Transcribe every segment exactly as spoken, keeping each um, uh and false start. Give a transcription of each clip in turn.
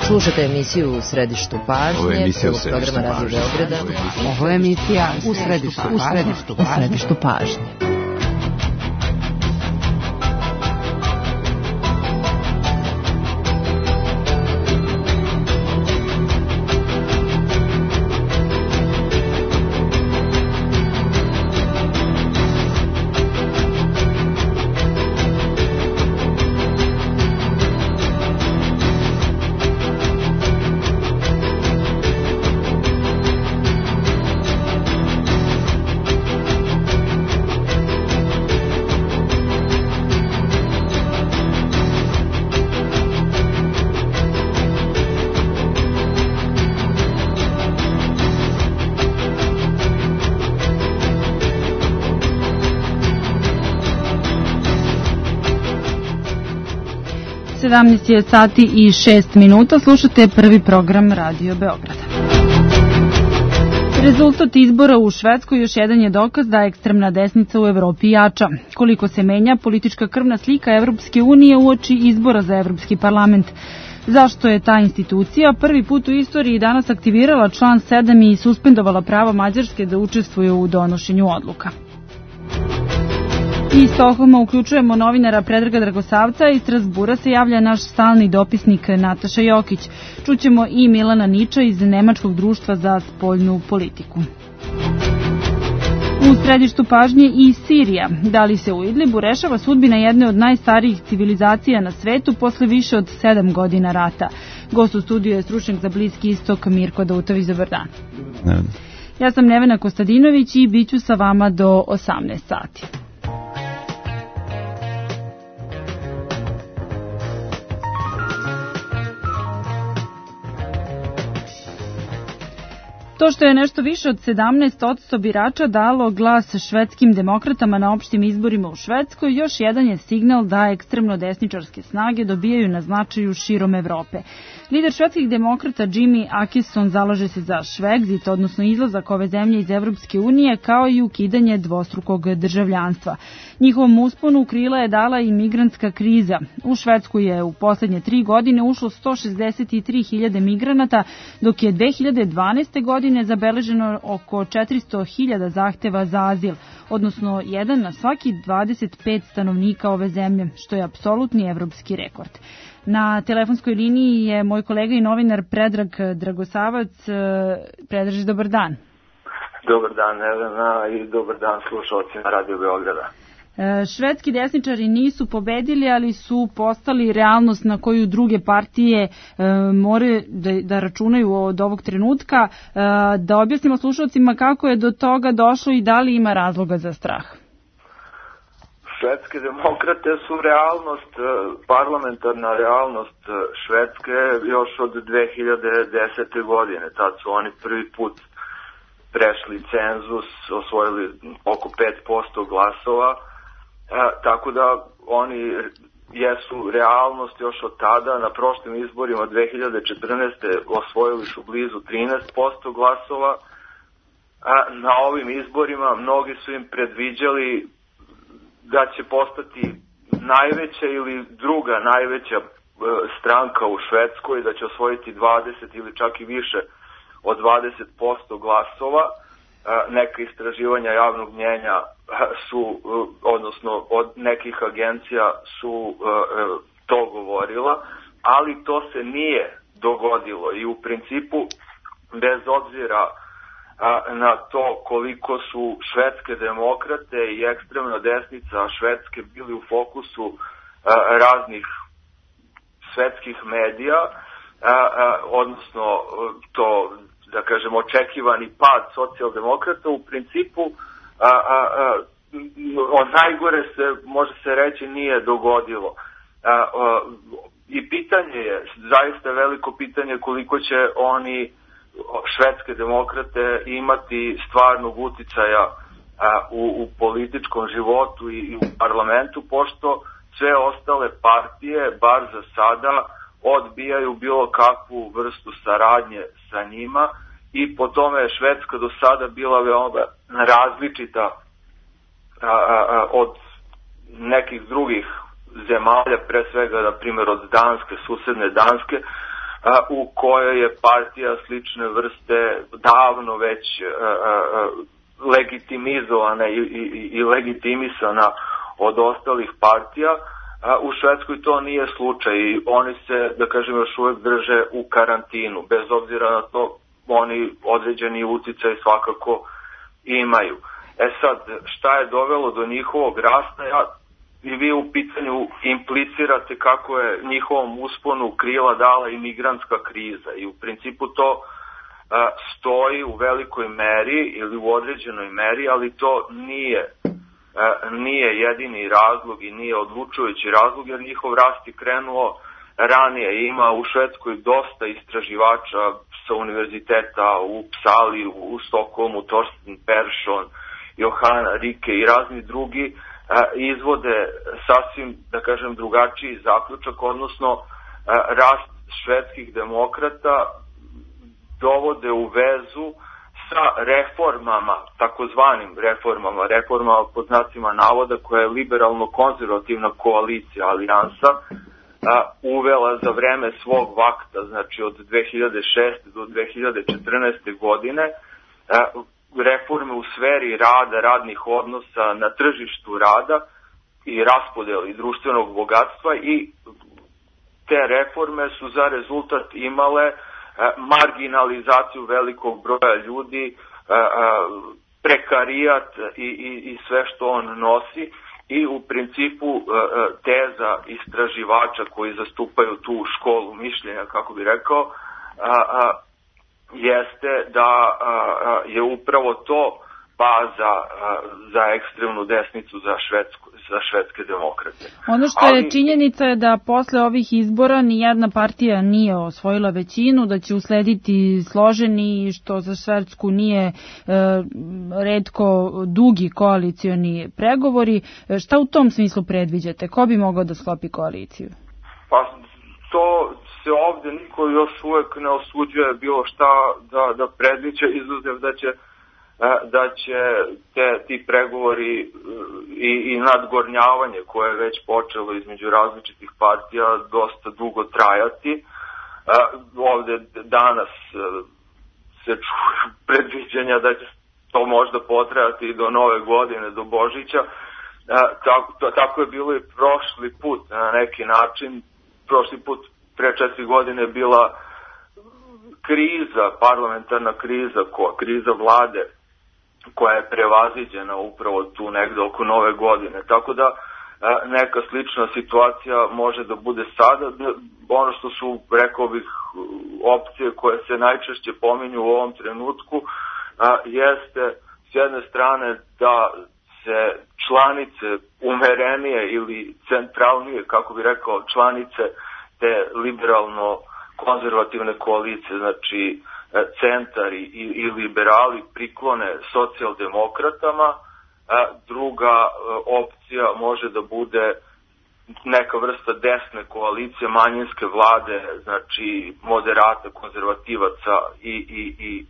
Slušate emisiju U središtu pažnje. Ovo je emisija U središtu pažnje. Ovo je emisija U središtu pažnje. U središtu pažnje. sedamnaest je sati i šest minuta, slušate prvi program Radio Beograda. Rezultat izbora u Švedskoj još jedan je dokaz da ekstremna desnica u Evropi jača. Koliko se menja politička krvna slika Evropske unije uoči izbora za Evropski parlament. Zašto je ta institucija prvi put u istoriji danas aktivirala član sedam i suspendovala pravo Mađarske da učestvuje u donošenju odluka? Iz Stokholma uključujemo novinara Predraga Dragosavca, iz Strasbura se javlja naš stalni dopisnik Nataša Jokić. Čućemo i Milana Niča iz Nemačkog društva za spoljnu politiku. U središtu pažnje i Sirija. Da li se u Idlibu rešava sudbina jedne od najstarijih civilizacija na svetu posle više od sedam godina rata? Gost u studiju je stručnjak za Bliski istok Mirko Dautović. Dobar dan. Ja sam Nevena Kostadinović i bit ću sa vama do osamnaest sati. To što je nešto više od sedamnaest posto birača dalo glas švedskim demokratama na opštim izborima u Švedskoj, još jedan je signal da ekstremno desničarske snage dobijaju na značaju širom Evrope. Lider švedskih demokrata Jimmy Akesson zalaže se za Švegzit, odnosno izlazak ove zemlje iz Evropske unije, kao i ukidanje dvostrukog državljanstva. Njihovom usponu u krila je dala i migrantska kriza. U Švedsku je u poslednje tri godine ušlo sto šezdeset tri hiljade migranata, dok je dve hiljade dvanaeste. godine zabeleženo oko četiristo hiljada zahteva za azil, odnosno jedan na svaki dvadeset pet stanovnika ove zemlje, što je apsolutni evropski rekord. Na telefonskoj liniji je moj kolega i novinar Predrag Dragosavac. Predraž, dobar dan. Dobar dan, Nevena, i dobar dan slušalcima Radio Beograda. Švedski desničari nisu pobedili, ali su postali realnost na koju druge partije e, more da, da računaju od ovog trenutka. E, da objasnimo slušalcima kako je do toga došlo i da li ima razloga za strah. Švedske demokrate su realnost, parlamentarna realnost Švedske još od dve hiljade desete. godine. Tad su oni prvi put prešli cenzus, osvojili oko pet posto glasova. E, tako da oni jesu realnost još od tada. Na prošlim izborima dve hiljade četrnaeste. osvojili su blizu trinaest posto glasova. A na ovim izborima mnogi su im predviđali da će postati najveća ili druga najveća e, stranka u Švedskoj, da će osvojiti dvadeset ili čak i više od dvadeset posto glasova. Neka istraživanja javnog mnjenja su, odnosno od nekih agencija su to govorila, ali to se nije dogodilo i u principu, bez obzira na to koliko su švedske demokrate i ekstremna desnica Švedske bili u fokusu raznih svetskih medija, odnosno to, da kažemo, očekivani pad socijaldemokrata, u principu a, a, a, od najgore se, može se reći, nije dogodilo. A, a, I pitanje je, zaista veliko pitanje, koliko će oni, švedske demokrate, imati stvarnog uticaja a, u, u političkom životu i, i u parlamentu, pošto sve ostale partije, bar za sada, odbijaju bilo kakvu vrstu saradnje sa njima i po tome je Švedska do sada bila veoma različita a, a, a, od nekih drugih zemalja, pre svega, na primjer, od Danske, susedne Danske, u kojoj je partija slične vrste davno već legitimizovana i, i, i legitimisana od ostalih partija. U Švedskoj to nije slučaj i oni se, da kažem, još uvek drže u karantinu. Bez obzira na to, oni određeni uticaj svakako imaju. E sad, šta je dovelo do njihovog rasta? Ja, i vi u pitanju implicirate kako je njihovom usponu krila dala imigrantska kriza i u principu to a, stoji u velikoj meri ili u određenoj meri, ali to nije nije jedini razlog i nije odlučujući razlog, jer njihov rast je krenuo ranije. Ima u Švedskoj dosta istraživača sa univerziteta u Psali, u Stokholmu, Torsten Persson, Johanna Rike i razni drugi izvode sasvim, da kažem, drugačiji zaključak, odnosno rast švedskih demokrata dovode u vezu sa reformama, takozvanim reformama, reformama pod znacima navoda, koja je liberalno-konzervativna koalicija, alijansa, a, uvela za vreme svog vakta, znači od dve hiljade šeste do dve hiljade četrnaeste godine, a, reforme u sferi rada, radnih odnosa na tržištu rada i raspodeli društvenog bogatstva, i te reforme su za rezultat imale marginalizaciju velikog broja ljudi, prekarijat i, i, i sve što on nosi, i u principu teza istraživača koji zastupaju tu školu mišljenja, kako bi rekao, jeste da je upravo to baza za ekstremnu desnicu, za, švedsku, za švedske demokrate. Ono što je Ali... činjenica je da posle ovih izbora nijedna partija nije osvojila većinu, da će uslediti složeni, što za Švedsku nije e, retko dugi koalicioni pregovori. Šta u tom smislu predviđate? Ko bi mogao da sklopi koaliciju? Pa to se ovde niko još uvek ne osuđuje bilo šta da, da predviđa, izuzev da će da će te, ti pregovori i, i nadgornjavanje koje je već počelo između različitih partija dosta dugo trajati. Ovde danas se čuje predviđenja da će to možda potrajati i do nove godine, do Božića. Tako, tako je bilo i prošli put na neki način. Prošli put pre četiri godine je bila kriza, parlamentarna kriza, ko, kriza vlade, koja je prevaziđena upravo tu negde oko nove godine. Tako da neka slična situacija može da bude sada. Ono što su, rekao bih, opcije koje se najčešće pominju u ovom trenutku jeste s jedne strane da se članice umerenije ili centralnije, kako bi rekao, članice te liberalno-konzervativne koalicije, znači centar i, i liberali, priklone socijaldemokratama. Druga opcija može da bude neka vrsta desne koalicije, manjinske vlade, znači moderata, konzervativaca i, i, i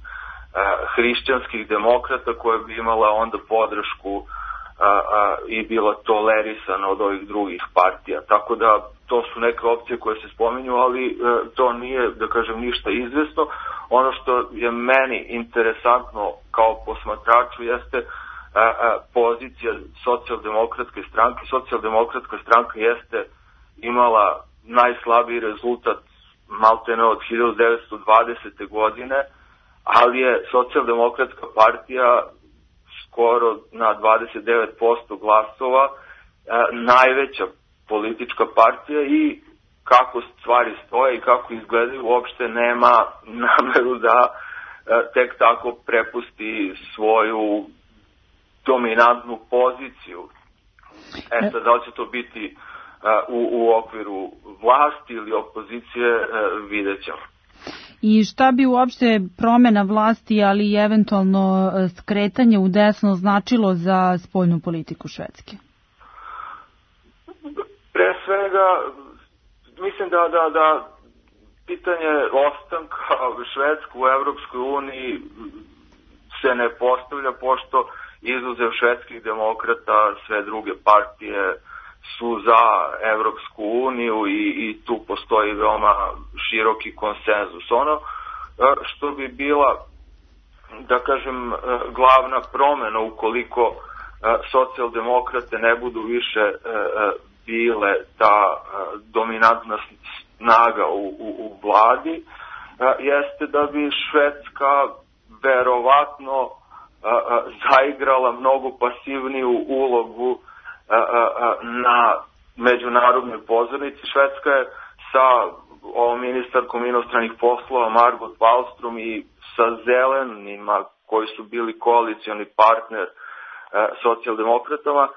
hrišćanskih demokrata, koja bi imala onda podršku a, a, i bila tolerisana od ovih drugih partija. Tako da to su neke opcije koje se spominju, ali e, to nije, da kažem, ništa izvesno. Ono što je meni interesantno kao posmatraču jeste a, a, pozicija socijaldemokratske stranke. Socijaldemokratska stranka jeste imala najslabiji rezultat maltene od hiljadu devetsto dvadesete godine, ali je socijaldemokratska partija skoro na dvadeset devet posto glasova a, najveća politička partija i kako stvari stoje i kako izgledaju uopšte nema nameru da a, tek tako prepusti svoju dominantnu poziciju. E sad, da li će to biti a, u, u okviru vlasti ili opozicije, a, vidjet ćemo. I šta bi uopšte promena vlasti, ali i eventualno skretanje u desno značilo za spoljnu politiku Švedske? Pre svega, mislim da, da, da pitanje ostanka Švedske u Evropskoj uniji se ne postavlja, pošto izuzev švedskih demokrata sve druge partije su za Evropsku uniju i, i tu postoji veoma široki konsenzus. Ono što bi bila, da kažem, glavna promena ukoliko socijaldemokrate ne budu više bile ta dominantna snaga u, u, u vladi, jeste da bi Švedska verovatno zaigrala mnogo pasivniju ulogu na međunarodnoj pozornici. Švedska je sa ovom ministarkom inostranih poslova Margot Wallström i sa zelenima koji su bili koalicioni partner socijaldemokratama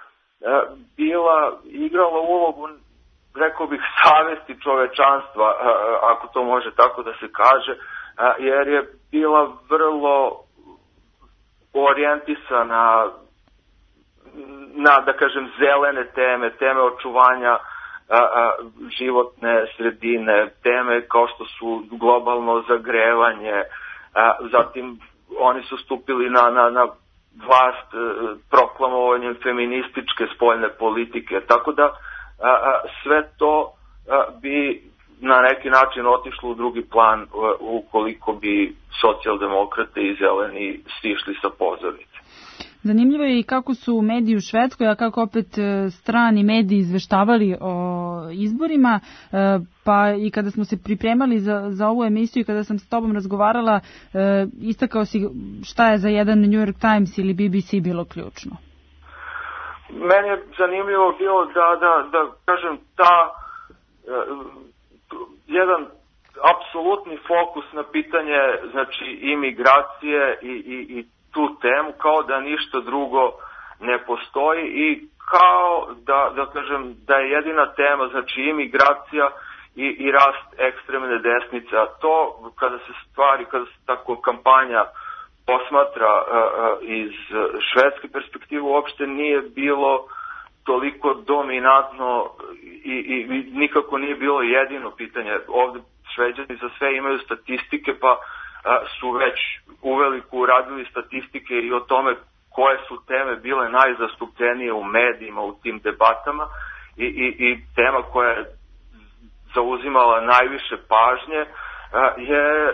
bila, igrala ulogu, rekao bih, savesti čovečanstva, ako to može tako da se kaže, jer je bila vrlo orijentisana na, da kažem, zelene teme, teme očuvanja a, a, životne sredine, teme kao što su globalno zagrevanje, a, zatim oni su stupili na, na, na vlast a, proklamovanjem feminističke spoljne politike, tako da a, a, sve to a, bi na neki način otišlo u drugi plan a, ukoliko bi socijaldemokrate i zeleni stišli sa pozornice. Zanimljivo je i kako su mediji u Švedskoj, a kako opet strani mediji izveštavali o izborima, pa i kada smo se pripremali za, za ovu emisiju i kada sam s tobom razgovarala, istakao si šta je za jedan New York Times ili B B C bilo ključno. Meni je zanimljivo bilo da, da, da kažem, ta jedan apsolutni fokus na pitanje, znači, imigracije i, i, i tu temu, kao da ništa drugo ne postoji i kao da, da kažem, da je jedina tema, znači, imigracija i, i rast ekstremne desnice, a to kada se stvari, kada se tako kampanja posmatra uh, iz švedske perspektive, uopšte nije bilo toliko dominantno i, i, i nikako nije bilo jedino pitanje. Ovde Šveđani za sve imaju statistike, pa su već uveliko uradili statistike i o tome koje su teme bile najzastupljenije u medijima u tim debatama i, i, i tema koja je zauzimala najviše pažnje je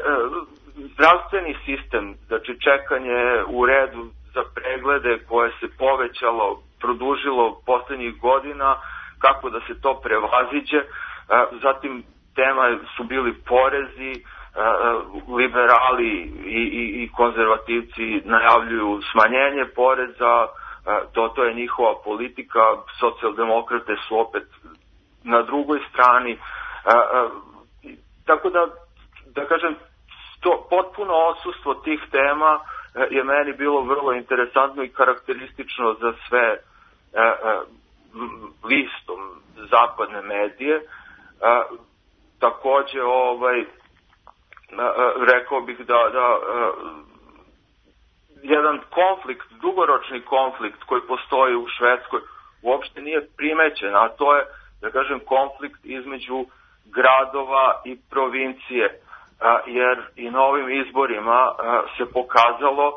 zdravstveni sistem, znači čekanje u redu za preglede koje se povećalo, produžilo poslednjih godina, kako da se to prevaziđe. Zatim tema su bili porezi, liberali i, i, i konzervativci najavljuju smanjenje poreza, to, to je njihova politika, socijaldemokrate su opet na drugoj strani, tako da, da kažem, to potpuno odsustvo tih tema je meni bilo vrlo interesantno i karakteristično za sve listom zapadne medije. Takođe, ovaj, rekao bih da, da jedan konflikt, dugoročni konflikt koji postoji u Švedskoj uopšte nije primećen, a to je, da kažem, konflikt između gradova i provincije, jer i na ovim izborima se pokazalo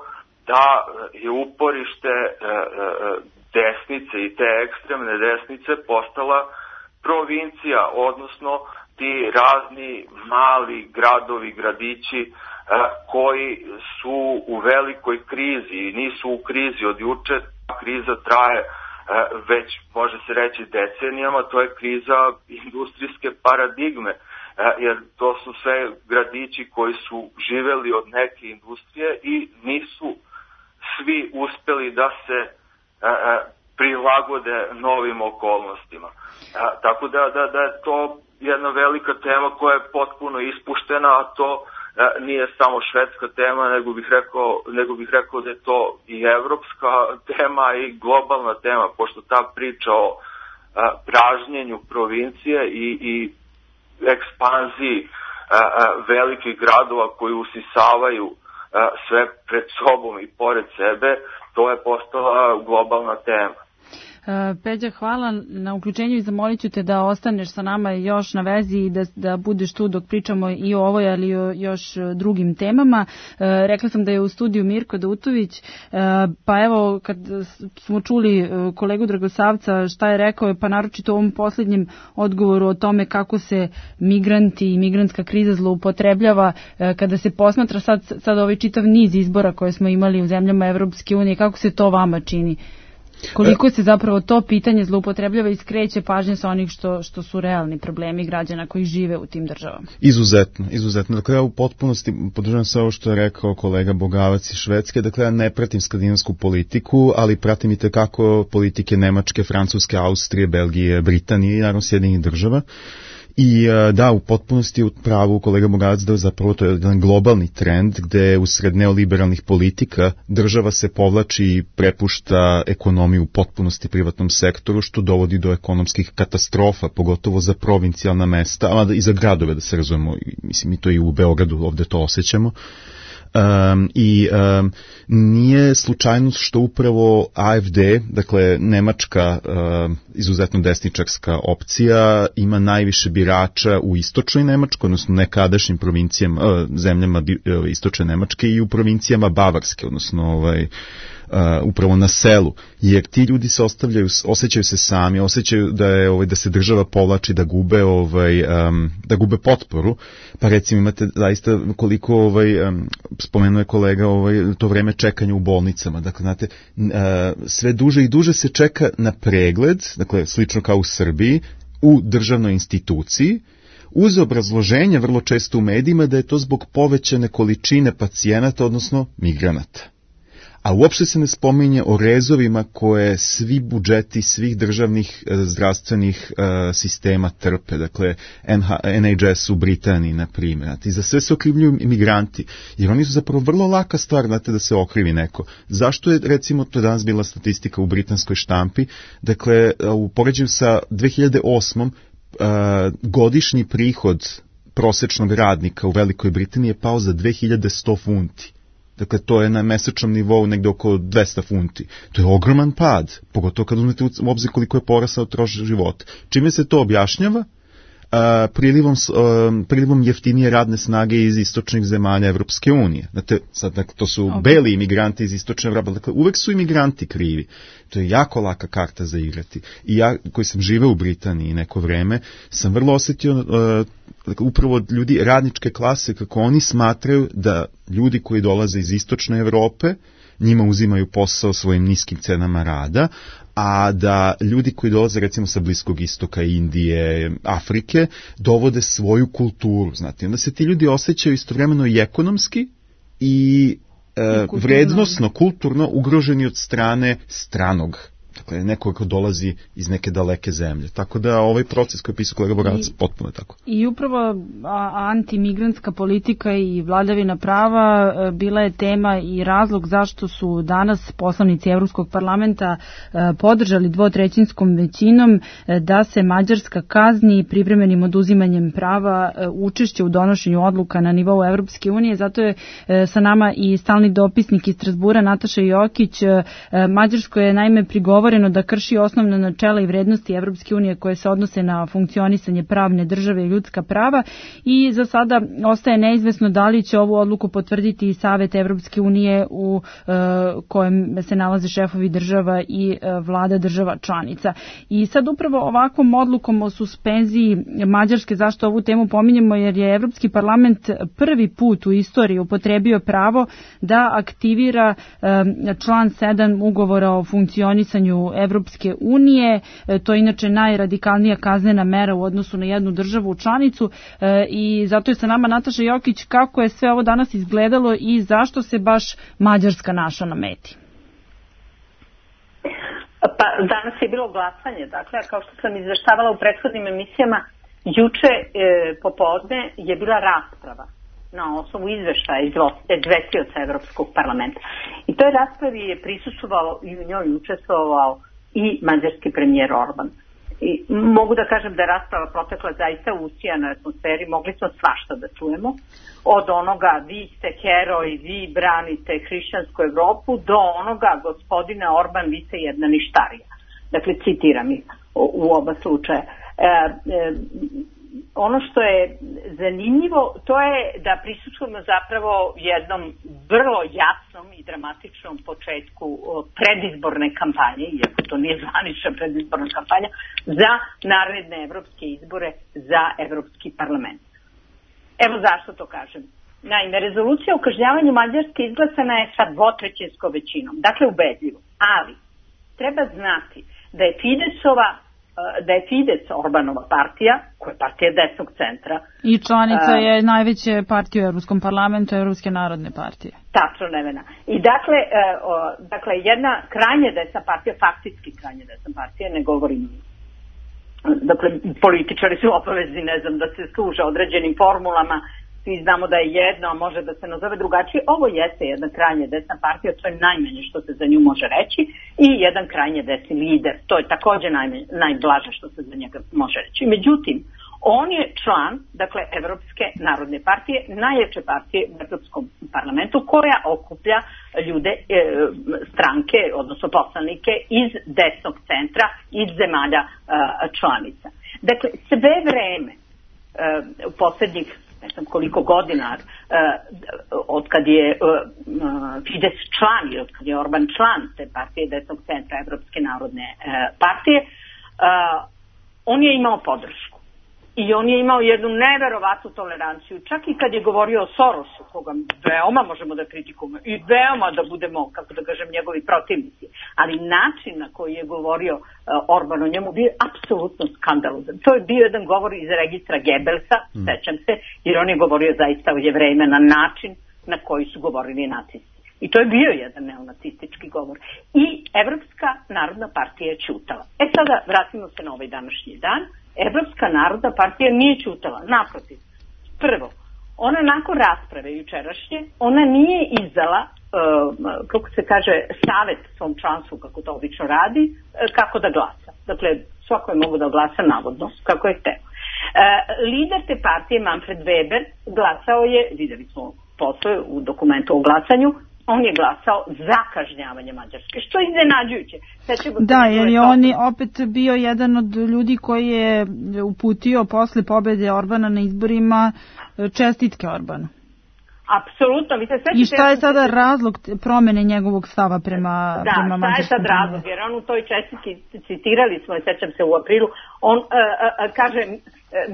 da je uporište desnice i te ekstremne desnice postala provincija, odnosno ti razni mali gradovi, gradići koji su u velikoj krizi i nisu u krizi od juče. Kriza traje već, može se reći, decenijama, to je kriza industrijske paradigme, jer to su sve gradići koji su živeli od neke industrije i nisu svi uspeli da se prilagode novim okolnostima. Tako da, da, da je to jedna velika tema koja je potpuno ispuštena, a to e, nije samo švedska tema, nego bih rekao, nego bih rekao da je to i evropska tema i globalna tema, pošto ta priča o e, pražnjenju provincije i, i ekspanziji e, e, velikih gradova koji usisavaju e, sve pred sobom i pored sebe, to je postala globalna tema. Peđa, hvala na uključenju i zamolit ću te da ostaneš sa nama još na vezi i da, da budeš tu dok pričamo i o ovoj, ali i o još drugim temama. Rekla sam da je u studiju Mirko Dautović, pa evo kad smo čuli kolegu Dragosavca šta je rekao, pa naročito u ovom posljednjem odgovoru o tome kako se migranti i migrantska kriza zloupotrebljava, kada se posmatra sad, sad ovaj čitav niz izbora koje smo imali u zemljama Evropske unije, kako se to vama čini? Koliko se zapravo to pitanje zloupotrebljava i skreće pažnje sa onih što, što su realni problemi građana koji žive u tim državama? Izuzetno, izuzetno. Dakle, ja u potpunosti podržavam sve ovo što je rekao kolega Bogavac iz Švedske. Dakle, ja ne pratim skandinavsku politiku, ali pratim i tekako politike Nemačke, Francuske, Austrije, Belgije, Britanije i naravno Sjedinjenih država. I da, u potpunosti u pravu kolega Bogavac da zapravo to je jedan globalni trend gde usred neoliberalnih politika država se povlači i prepušta ekonomiju u potpunosti privatnom sektoru, što dovodi do ekonomskih katastrofa, pogotovo za provincijalna mesta, ali i za gradove, da se razumemo, mislim mi to i u Beogradu ovde to osjećamo. Um, i um, nije slučajnost što upravo A F D, dakle nemačka uh, izuzetno desničarska opcija, ima najviše birača u istočnoj Nemačkoj, odnosno nekadašnjim provincijama, uh, zemljama uh, istočne Nemačke i u provincijama Bavarske, odnosno ovaj, Uh, upravo na selu, jer ti ljudi se ostavljaju, osjećaju se sami, osjećaju da je ovaj da se država povlači, da gube ovaj um, da gube potporu. Pa recimo imate zaista koliko ovaj um, spomenuo je kolega ovaj to vreme čekanja u bolnicama. Dakle znate uh, sve duže i duže se čeka na pregled, dakle slično kao u Srbiji, u državnoj instituciji, uz obrazloženje vrlo često u medijima da je to zbog povećane količine pacijenata, odnosno migranata. A uopšte se ne spominje o rezovima koje svi budžeti svih državnih e, zdravstvenih e, sistema trpe, dakle N H S u Britaniji, na primjer. I za sve se okrivljuju imigranti, jer oni su zapravo vrlo laka stvar, znate, da se okrivi neko. Zašto je, recimo, to danas bila statistika u britanskoj štampi, dakle, u poređenju sa dve hiljade osmom e, godišnji prihod prosečnog radnika u Velikoj Britaniji je pao za dve hiljade sto funti. Dakle, to je na mesečnom nivou negde oko dvesta funti. To je ogroman pad, pogotovo kad uzmete u obzir koliko je porasao trošak života. Čime se to objašnjava? Uh, prilivom, uh, prilivom jeftinije radne snage iz istočnih zemalja Evropske unije. Znate, sad, dakle, to su okay. beli imigranti iz istočne Evrope. Dakle, uvek su imigranti krivi. To je jako laka karta za igrati. I ja, koji sam živeo u Britaniji neko vreme, sam vrlo osjetio uh, dakle, upravo ljudi radničke klase, kako oni smatraju da ljudi koji dolaze iz istočne Evrope njima uzimaju posao svojim niskim cenama rada, a da ljudi koji dolaze recimo sa Bliskog istoka, Indije, Afrike, dovode svoju kulturu, znate. Onda se ti ljudi osjećaju istovremeno i ekonomski i, e, I vrednosno, kulturno ugroženi od strane stranog. Dakle, neko ko dolazi iz neke daleke zemlje. Tako da ovaj proces koji je pisao kolega Bogavac potpuno je tako. I upravo antimigrantska politika i vladavina prava bila je tema i razlog zašto su danas poslanici Evropskog parlamenta podržali dvotrećinskom većinom da se Mađarska kazni privremenim oduzimanjem prava učešće u donošenju odluka na nivou Evropske unije. Zato je sa nama i stalni dopisnik iz Strasbura Nataša Jokić. Mađarsko je naime prigovoreno da krši osnovna načela i vrednosti Evropske unije koje se odnose na funkcionisanje pravne države i ljudska prava i za sada ostaje neizvesno da li će ovu odluku potvrditi i Savet Evropske unije u e, kojem se nalaze šefovi država i e, vlada država članica. I sad upravo ovakvom odlukom o suspenziji Mađarske, zašto ovu temu pominjemo, jer je Evropski parlament prvi put u istoriji upotrebio pravo da aktivira e, član sedam ugovora o funkcionisanju Evropske unije. To je inače najradikalnija kaznena mera u odnosu na jednu državu članicu i zato je sa nama Nataša Jokić. Kako je sve ovo danas izgledalo i zašto se baš Mađarska našla na meti? Pa danas je bilo glasanje, dakle, kao što sam izveštavala u prethodnim emisijama, juče e, popodne je bila rasprava na osnovu izveštaja izvestioca Evropskog parlamenta. I toj raspravi je prisustvovao i u njoj učestvovao i mađarski premijer Orban. I mogu da kažem da je rasprava protekla zaista u usijanoj atmosferi, mogli smo svašta da čujemo, od onoga vi ste heroj, vi branite hrišćansku Evropu, do onoga gospodine Orban, vi ste jedna ništarija. Dakle, citiram ih u, u oba slučaja. E, e, ono što je zanimljivo, to je da prisustvujemo zapravo jednom vrlo jasnom i dramatičnom početku predizborne kampanje, iako to nije zvanična predizborna kampanja, za naredne evropske izbore za Evropski parlament. Evo zašto to kažem. Naime, rezolucija o kažnjavanju Mađarske izglasana je sa dvotrećinskom većinom, dakle ubedljivo, ali treba znati da je Fidesova da je Fides, Orbanova partija, koja je partija desnog centra. I članica je najveće partije u Evropskom parlamentu, Evropske narodne partije. Tačno, Nevena. I dakle, dakle, jedna krajnje desna partija, faktički krajnje desna partija, ne govorim, dakle, političari su obavezni, ne znam, da se služe određenim formulama, svi znamo da je jedno, a može da se nazove drugačije. Ovo jeste jedna krajnje desna partija, to je najmanje što se za nju može reći, i jedan krajnje desni lider, to je takođe najmanje, najblaže što se za njega može reći. Međutim, on je član, dakle, Evropske narodne partije, najjače partije u Evropskom parlamentu, koja okuplja ljude, e, stranke, odnosno poslanike iz desnog centra, iz zemalja e, članica. Dakle, sve vreme e, u poslednjih ne znam koliko godina, uh, od kad je uh, Fides član i od kad je Orban član te partije desnog centra Evropske narodne uh, partije, uh, on je imao podršku. I on je imao jednu neverovatnu toleranciju, čak i kad je govorio o Sorosu, koga veoma možemo da kritikujemo i veoma da budemo, kako da kažem, njegovi protivnici. Ali način na koji je govorio uh, Orban o njemu bio je apsolutno skandalozan. To je bio jedan govor iz registra Gebelsa, mm. sećam se, jer on je govorio zaista o Jevrejima na način na koji su govorili nacisti. I to je bio jedan neonacistički govor. I Evropska narodna partija je ćutala. E sada vratimo se na ovaj današnji dan. Evropska narodna partija nije ćutala, naprotiv. Prvo, ona nakon rasprave jučerašnje, ona nije izdala, uh, kako se kaže, savet svom članstvu, kako to obično radi, uh, kako da glasa. Dakle, svako je mogu da glasa navodno, kako je hteo. Uh, lider te partije, Manfred Weber, glasao je, videli smo posle u dokumentu o glasanju, on je glasao za kažnjavanje Mađarske, što je iznenađujuće. Da, jer je on opet bio jedan od ljudi koji je uputio posle pobede Orbana na izborima čestitke Orbanu. Apsolutno. I šta je sada razlog promene njegovog stava prema, da, prema Mađarskoj? Da, šta je sad razlog, jer on u toj čestitki, citirali smo je, sećam se u aprilu, on uh, uh, kaže,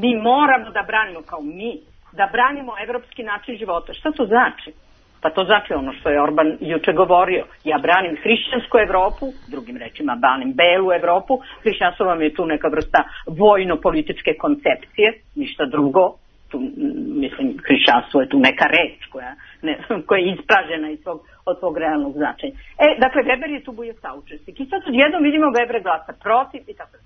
mi moramo da branimo, kao mi, da branimo evropski način života. Šta to znači? Pa to znači ono što je Orban juče govorio. Ja branim hrišćansku Evropu, drugim rečima branim belu Evropu. Hrišćanstvo vam je tu neka vrsta vojno-političke koncepcije, ništa drugo. Tu, mislim, hrišćanstvo je tu neka reč koja, ne, koja je ispražena iz svog, od svog realnog značenja. E, dakle, Weber je tu bio saučesnik. I sad odjednom vidimo Weber glasa protiv i tako. E,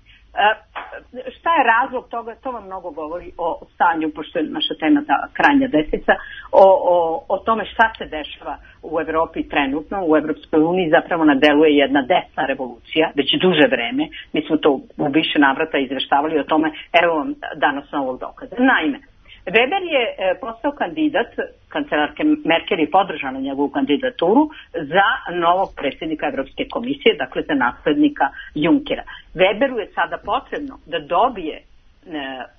šta je razlog toga? To vam mnogo govori o stanju, pošto je naša tema ta krajnja desnica, o, o, o tome šta se dešava u Evropi trenutno, u Evropskoj uniji zapravo nadeluje jedna desna revolucija, već duže vreme. Mi smo to u više navrata izveštavali o tome, evo vam danas novog dokaza. Naime, Weber je postao kandidat, kancelarke Merkel je podržala njegovu kandidaturu za novog predsjednika Evropske komisije, dakle za naslednika Junckera. Weberu je sada potrebno da dobije e,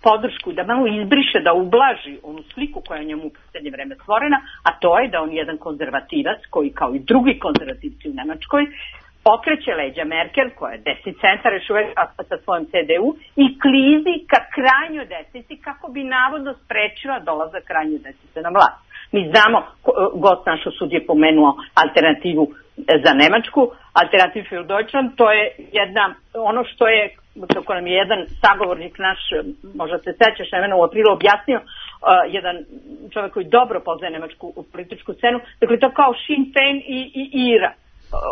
podršku, da malo izbriše, da ublaži onu sliku koja je njemu u poslednje vreme stvorena, a to je da on je jedan konzervativac koji kao i drugi konzervativci u Nemačkoj okreće leđa Merkel, koja je desni centar još uvek sa svojom C D U, i klizi ka krajnjoj desnici kako bi navodno sprečila dolazak krajnje desnice na vlast. Mi znamo, gost naš sud je pomenuo alternativu za Nemačku, Alternativ für Deutschland, to je jedna, ono što je, kako nam je jedan sagovornik naš, možda se sećaš, Nevena, u aprilu objasnio, uh, jedan čovjek koji dobro poznaje nemačku političku scenu, dakle to kao Sinn Féin i, i IRA.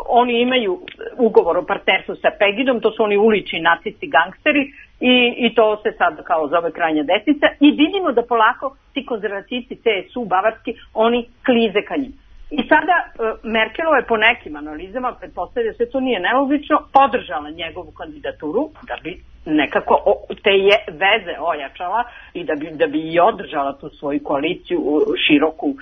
Oni imaju ugovor o partnerstvu sa Pegidom, to su oni ulični nacisti, gangsteri, i, i to se sad kao zove krajnja desnica, i vidimo da polako ti konzervativci C S U bavarski, oni klize ka njim. I sada Merkelova je po nekim analizama, pretpostavlja se to nije nelogično, podržala njegovu kandidaturu da bi nekako te je veze ojačala i da bi, da bi i održala tu svoju koaliciju široku,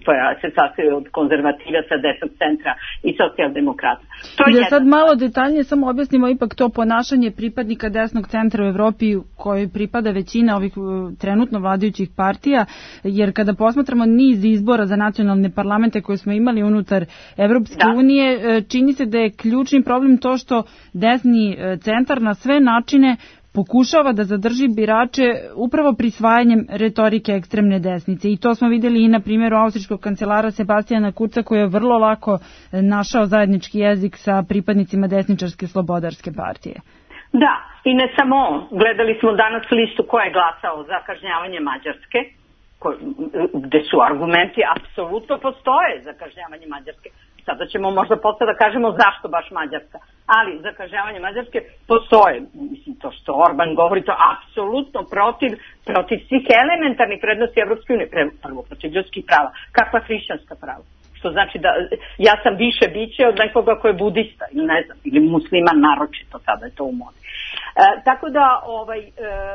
koja se sastoji od konzervativaca, desnog centra i socijaldemokrata. To je da sad malo detaljnije samo objasnimo ipak to ponašanje pripadnika desnog centra u Evropi kojoj pripada većina ovih trenutno vladajućih partija, jer kada posmatramo niz izbora za nacionalne parlamente koje smo imali unutar Evropske da. unije, čini se da je ključni problem to što desni centar na sve načine pokušava da zadrži birače upravo prisvajanjem retorike ekstremne desnice. I to smo vidjeli i na primjeru austrijskog kancelara Sebastijana Kurca, koji je vrlo lako našao zajednički jezik sa pripadnicima desničarske slobodarske partije. Da, i ne samo on. Gledali smo danas listu ko je glasao za kažnjavanje Mađarske, ko, gde su argumenti apsolutno postoje za kažnjavanje Mađarske. Sada ćemo možda posle da kažemo zašto baš Mađarska, ali za kažnjavanje Mađarske postoje. Mislim, to što Orban govori, to apsolutno protiv, protiv svih elementarnih prednosti Evropske unije, prvo protiv ljudskih prava. Kakva hrišćanska prava? Što znači da ja sam više biće od nekoga ko je budista, ili ne znam, ili musliman naročito, sada je to u modi. E, tako da, ovaj, e,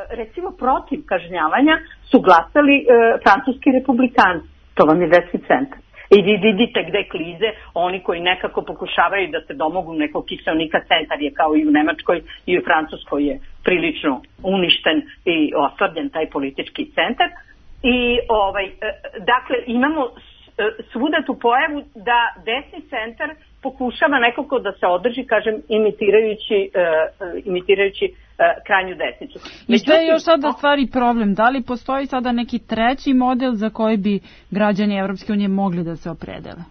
recimo, protiv kažnjavanja su glasali e, francuski republikanci. To vam je desni centar. I vi vidite gde klize oni koji nekako pokušavaju da se domogu nekog kiseonika. Centar je kao i u Nemačkoj i u Francuskoj je prilično uništen i oslabljen taj politički centar. I ovaj, e, dakle, imamo svuda tu pojavu da desni centar pokušava nekako da se održi, kažem, imitirajući, uh, imitirajući uh, krajnju desnicu. I što je još sada stvari problem? Da li postoji sada neki treći model za koji bi građani Evropske unije mogli da se opredele?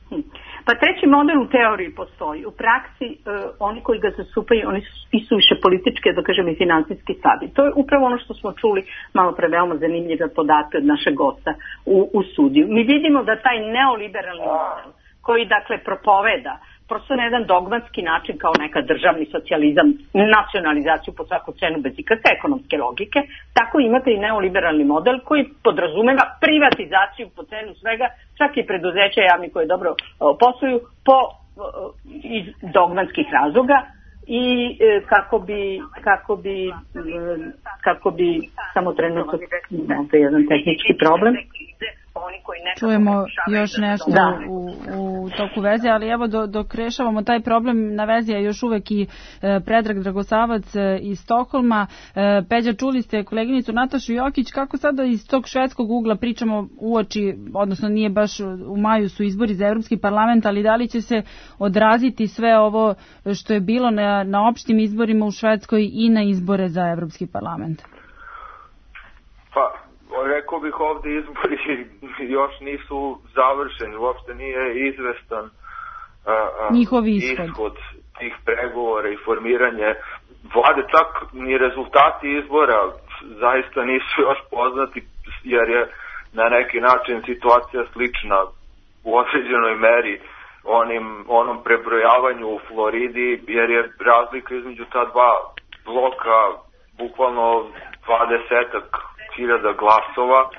Hm. Pa treći model u teoriji postoji. U praksi uh, oni koji ga zastupaju, oni su isuviše političke, da kažem, i finansijski slabi. To je upravo ono što smo čuli malo pre veoma zanimljive podatke od našeg gosta u, u studiju. Mi vidimo da taj neoliberalni model koji dakle propoveda prosto na jedan dogmatski način kao neka državni socijalizam, nacionalizaciju po svaku cenu bez ikakve ekonomske logike, tako imate i neoliberalni model koji podrazumeva privatizaciju po cenu svega, čak i preduzeća javni koje dobro o, posluju po o, iz dogmatskih razloga i e, kako bi kako bi e, kako bi samo trenutno to je jedan tehnički problem. Čujemo još nešto da. u, u toku veze, ali evo do, dok rešavamo taj problem, na vezi je još uvek i e, Predrag Dragosavac e, iz Stokholma. E, Peđa, čuli ste koleginicu Natašu Jokić, kako sada iz tog švedskog ugla pričamo uoči, odnosno nije baš u maju su izbori za Evropski parlament, ali da li će se odraziti sve ovo što je bilo na, na opštim izborima u Švedskoj i na izbore za Evropski parlament? Pa, rekao bih ovde izbori još nisu završeni, uopšte nije izvestan a, njihov ishod. ishod tih pregovora i formiranje vlade, čak ni rezultati izbora zaista nisu još poznati, jer je na neki način situacija slična u određenoj meri onim, onom prebrojavanju u Floridi, jer je razlika između ta dva bloka bukvalno dvadesetak hiljada glasova,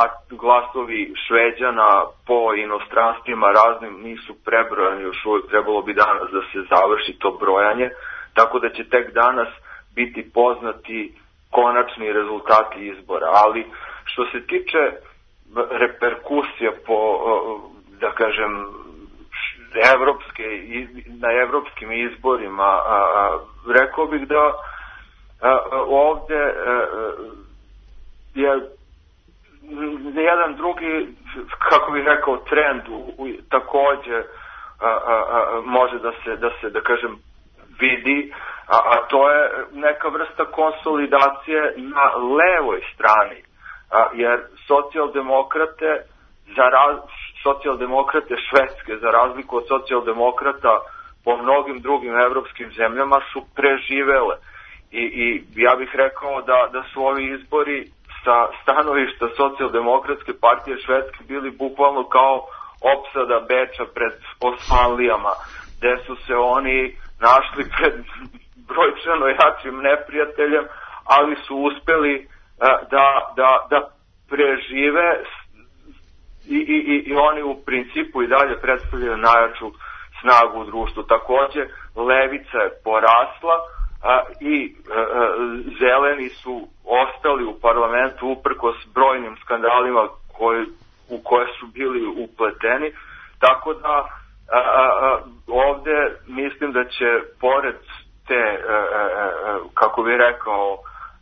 a glasovi Šveđana po inostranstvima raznim nisu prebrojani, još uvijek trebalo bi danas da se završi to brojanje, tako da će tek danas biti poznati konačni rezultati izbora. Ali što se tiče reperkusija po, da kažem, evropske, na evropskim izborima, rekao bih da ovde je jedan drugi, kako bih rekao, trend u, u, takođe a, a, a, može da se, da se, da kažem, vidi, a, a to je neka vrsta konsolidacije na levoj strani, a, jer socijaldemokrate za raz, socijaldemokrate Švedske, za razliku od socijaldemokrata po mnogim drugim evropskim zemljama, su preživele. I, i ja bih rekao da, da su ovi izbori sa stanovišta socijaldemokratske partije Švedske bili bukvalno kao opsada Beča pred Osmanlijama, gde su se oni našli pred brojčano jačim neprijateljem, ali su uspeli uh, da, da, da prežive i, i, i oni u principu i dalje predstavljaju najjaču snagu u društvu. Takođe, levica je porasla, a, i a, a, zeleni su ostali u parlamentu uprkos brojnim skandalima koji, u koje su bili upleteni, tako da a, a, ovde mislim da će pored te, a, a, kako bih rekao,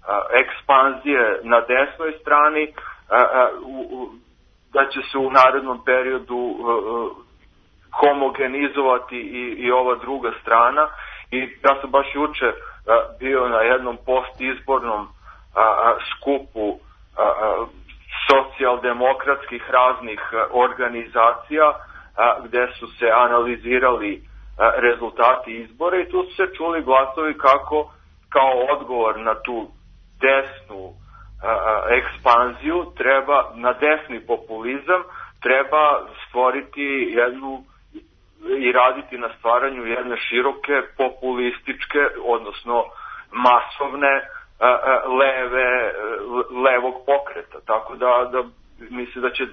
a, ekspanzije na desnoj strani, a, a, u, da će se u narednom periodu a, a, homogenizovati i, i ova druga strana. I ja sam baš juče a, bio na jednom postizbornom a, a, skupu a, a, socijaldemokratskih raznih a, organizacija a, gde su se analizirali a, rezultati izbora i tu su se čuli glasovi kako kao odgovor na tu desnu a, a, ekspanziju treba, na desni populizam treba stvoriti jednu i raditi na stvaranju jedne široke populističke, odnosno masovne a, a, leve, levog pokreta. Tako da, da mislim da će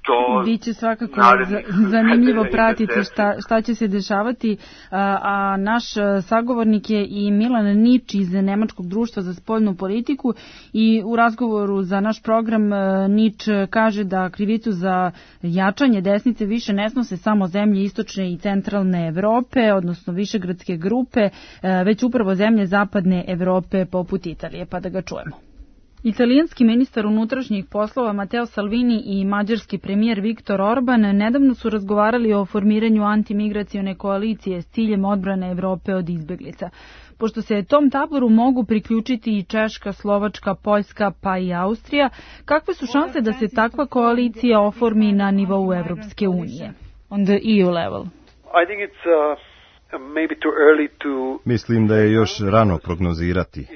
to... Biće svakako zanimljivo pratiti šta, šta će se dešavati, a, a naš sagovornik je i Milan Nič iz Nemačkog društva za spoljnu politiku i u razgovoru za naš program Nič kaže da krivicu za jačanje desnice više ne snose samo zemlje istočne i centralne Evrope, odnosno višegradske grupe, već upravo zemlje zapadne Evrope poput Italije, pa da ga čujemo. Italijanski ministar unutrašnjih poslova Matteo Salvini i mađarski premijer Viktor Orban nedavno su razgovarali o formiranju antimigracione koalicije s ciljem odbrane Evrope od izbeglica. Pošto se tom taboru mogu priključiti i Češka, Slovačka, Poljska pa i Austrija, kakve su šanse da se takva koalicija oformi na nivou Evropske unije? On the E U level. I think it's uh, maybe too early to... Mislim da je još rano prognozirati.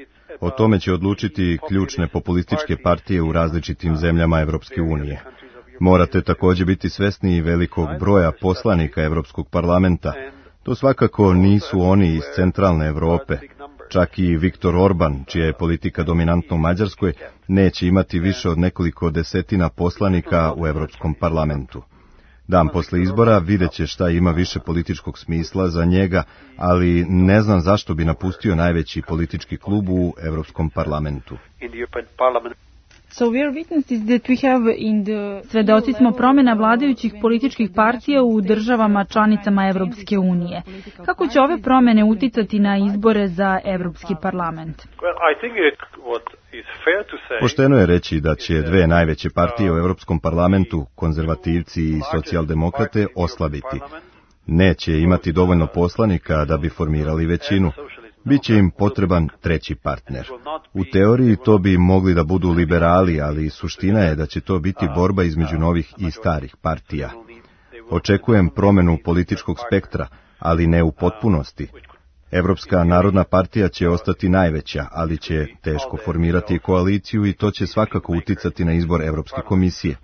O tome će odlučiti ključne populističke partije u različitim zemljama Evropske unije. Morate također biti svesni velikog broja poslanika Evropskog parlamenta. To svakako nisu oni iz centralne Evrope. Čak i Viktor Orban, čija je politika dominantna u Mađarskoj, neće imati više od nekoliko desetina poslanika u Evropskom parlamentu. Dan posle izbora vidjet će šta ima više političkog smisla za njega, ali ne znam zašto bi napustio najveći politički klub u Evropskom parlamentu. So we are witnesses that we have in the... Svedoci smo promjena vladajućih političkih partija u državama članicama Evropske unije. Kako će ove promjene uticati na izbore za Evropski parlament? Pošteno je reći da će dve najveće partije u Evropskom parlamentu, konzervativci i socijaldemokrate, oslabiti. Neće imati dovoljno poslanika da bi formirali većinu. Biće im potreban treći partner. U teoriji to bi mogli da budu liberali, ali suština je da će to biti borba između novih i starih partija. Očekujem promjenu političkog spektra, ali ne u potpunosti. Evropska narodna partija će ostati najveća, ali će teško formirati koaliciju i to će svakako uticati na izbor Evropske komisije.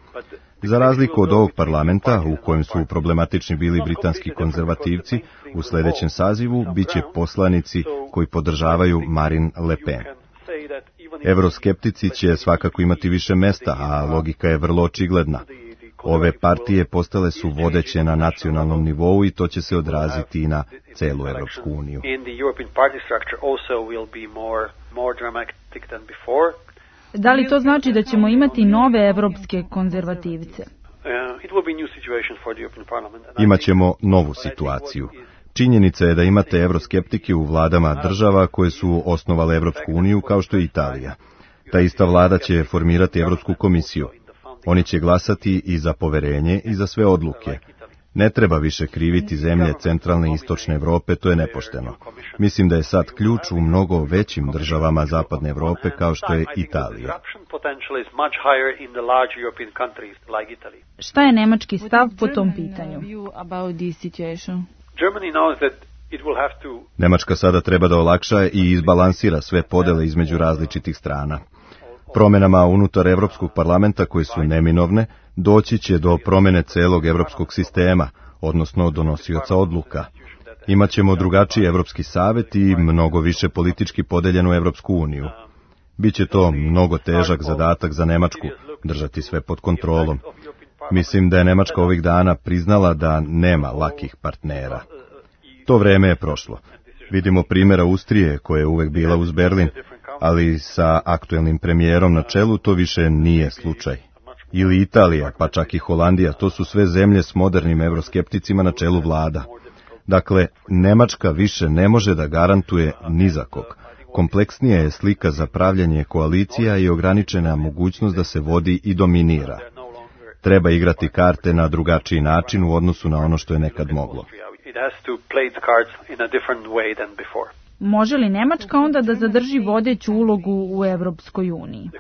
Za razliku od ovog parlamenta, u kojem su problematični bili britanski konzervativci, u sljedećem sazivu biće poslanici koji podržavaju Marine Le Pen. Evroskeptici će svakako imati više mesta, a logika je vrlo očigledna. Ove partije postale su vodeće na nacionalnom nivou i to će se odraziti i na celu Evropsku uniju. Da li to znači da ćemo imati nove evropske konzervativce? Imaćemo novu situaciju. Činjenica je da imate evroskeptike u vladama država koje su osnovale Evropsku uniju kao što je Italija. Ta ista vlada će formirati Evropsku komisiju. Oni će glasati i za poverenje i za sve odluke. Ne treba više kriviti zemlje centralne i istočne Evrope, to je nepošteno. Mislim da je sad ključ u mnogo većim državama zapadne Evrope kao što je Italija. Šta je nemački stav po tom pitanju? Nemačka sada treba da olakša i izbalansira sve podele između različitih strana. Promjenama unutar Evropskog parlamenta koje su neminovne, doći će do promjene celog evropskog sistema, odnosno donosioca odluka. Imaćemo drugačiji Evropski savet i mnogo više politički podeljenu Evropsku uniju. Biće to mnogo težak zadatak za Nemačku, držati sve pod kontrolom. Mislim da je Nemačka ovih dana priznala da nema lakih partnera. To vreme je prošlo. Vidimo primjer Austrije, koja je uvek bila uz Berlin, ali sa aktuelnim premijerom na čelu to više nije slučaj. Ili Italija, pa čak i Holandija, to su sve zemlje s modernim evroskepticima na čelu vlada. Dakle, Nemačka više ne može da garantuje ni za kog. Kompleksnija je slika za pravljanje koalicija i ograničena mogućnost da se vodi i dominira. Treba igrati karte na drugačiji način u odnosu na ono što je nekad moglo. Može li Nemačka onda da zadrži vodeću ulogu u Evropskoj uniji?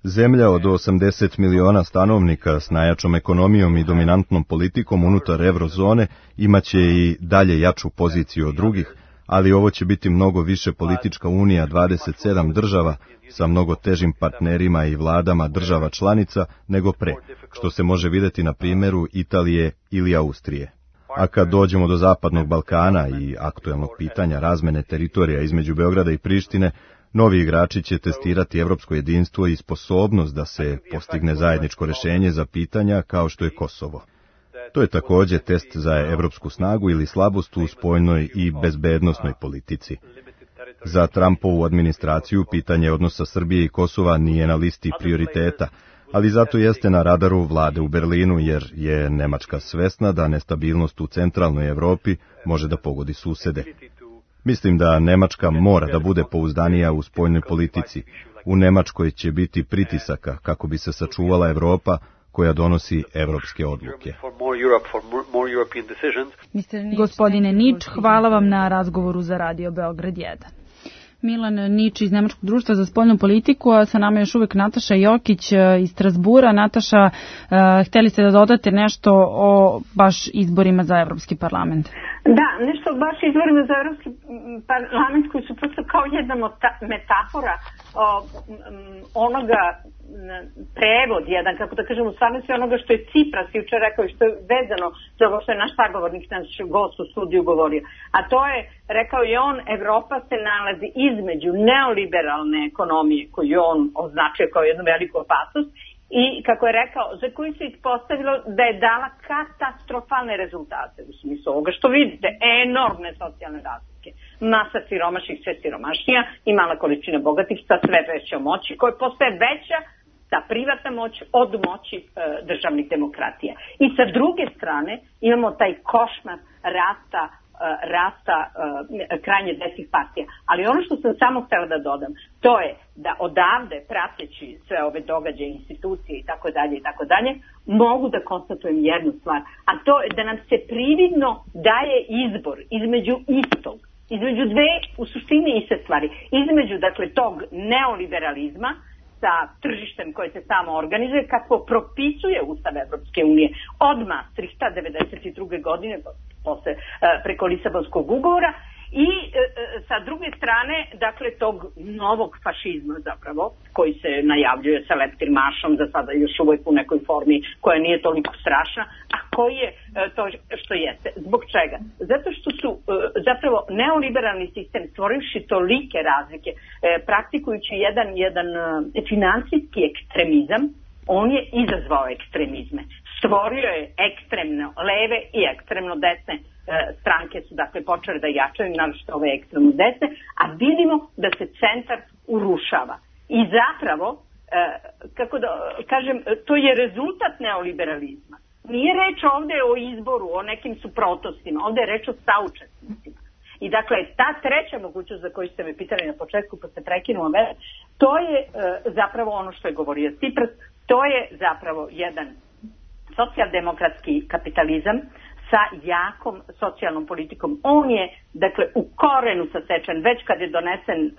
Zemlja od osamdeset miliona stanovnika s najjačom ekonomijom i dominantnom politikom unutar eurozone imaće i dalje jaču poziciju od drugih, ali ovo će biti mnogo više politička unija dvadeset sedam država sa mnogo težim partnerima i vladama država članica nego pre, što se može vidjeti na primjeru Italije ili Austrije. A kad dođemo do Zapadnog Balkana i aktuelnog pitanja razmene teritorija između Beograda i Prištine, novi igrači će testirati evropsko jedinstvo i sposobnost da se postigne zajedničko rješenje za pitanja kao što je Kosovo. To je također test za evropsku snagu ili slabost u spoljnoj i bezbednosnoj politici. Za Trumpovu administraciju pitanje odnosa Srbije i Kosova nije na listi prioriteta, ali zato jeste na radaru vlade u Berlinu jer je Nemačka svesna da nestabilnost u centralnoj Evropi može da pogodi susede. Mislim da Nemačka mora da bude pouzdanija u spoljnoj politici. U Nemačkoj će biti pritisaka kako bi se sačuvala Evropa koja donosi evropske odluke. Gospodine Nič, hvala vam na razgovoru za Radio Beograd jedan. Milan Nič iz Nemačkog društva za spoljnu politiku, a sa nama još uvek Nataša Jokić iz Strasbura. Nataša, hteli ste da dodate nešto o baš izborima za Evropski parlament? Da, nešto baš izborima za Evropski parlament koji su prosto kao jedna metafora o, onoga, prevod jedan, kako da kažem, u stvarnosti onoga što je Cipras jučer rekao i što je vezano za ovo što je naš sagovornik, naš gost u studiju govorio. A to je, rekao je on, Evropa se nalazi između neoliberalne ekonomije koju on označio kao jednu veliku opasnost i, kako je rekao, za koju se ispostavilo da je dala katastrofalne rezultate u smislu ovoga što vidite, enormne socijalne razlike. Masa siromašnih, sve siromašnija i mala količina bogatih sa sve većom moći koja postaje veća ta privatna moć od moći e, državnih demokratija. I sa druge strane imamo taj košmar rasta rasta uh, krajnje desnih partija. Ali ono što sam samo htjela da dodam, to je da odavde, prateći sve ove događaje, institucije i tako dalje i tako dalje, mogu da konstatujem jednu stvar, a to je da nam se prividno daje izbor između istog, između dve, u suštini iste stvari, između, dakle, tog neoliberalizma sa tržištem koje se samo organizuje, kako propisuje Ustav Evropske unije od Maastrichta devedeset druge godine, posle, preko Lisabonskog ugovora, i e, sa druge strane, dakle, tog novog fašizma zapravo, koji se najavljuje sa leptirmašom, za sada još uvijek u nekoj formi koja nije toliko strašna, a koji je e, to što jeste. Zbog čega? Zato što su e, zapravo neoliberalni sistem, stvorivši tolike razlike, e, praktikujući jedan, jedan e, finansijski ekstremizam, on je izazvao ekstremizme. Stvorio je ekstremno leve i ekstremno desne e, stranke su dakle počele da jačaju, naročito ove ekstremno desne, a vidimo da se centar urušava. I zapravo, e, kako da kažem, to je rezultat neoliberalizma. Nije reč ovde o izboru, o nekim suprotnostima, ovde je reč o saučesnicima. I dakle, ta treća mogućnost za koju ste me pitali na početku, pa ste prekinuo me, to je e, zapravo ono što je govorio Cipras, to je zapravo jedan socijaldemokratski kapitalizam sa jakom socijalnom politikom. On je, dakle, u korenu sasečen već kad je donesen e,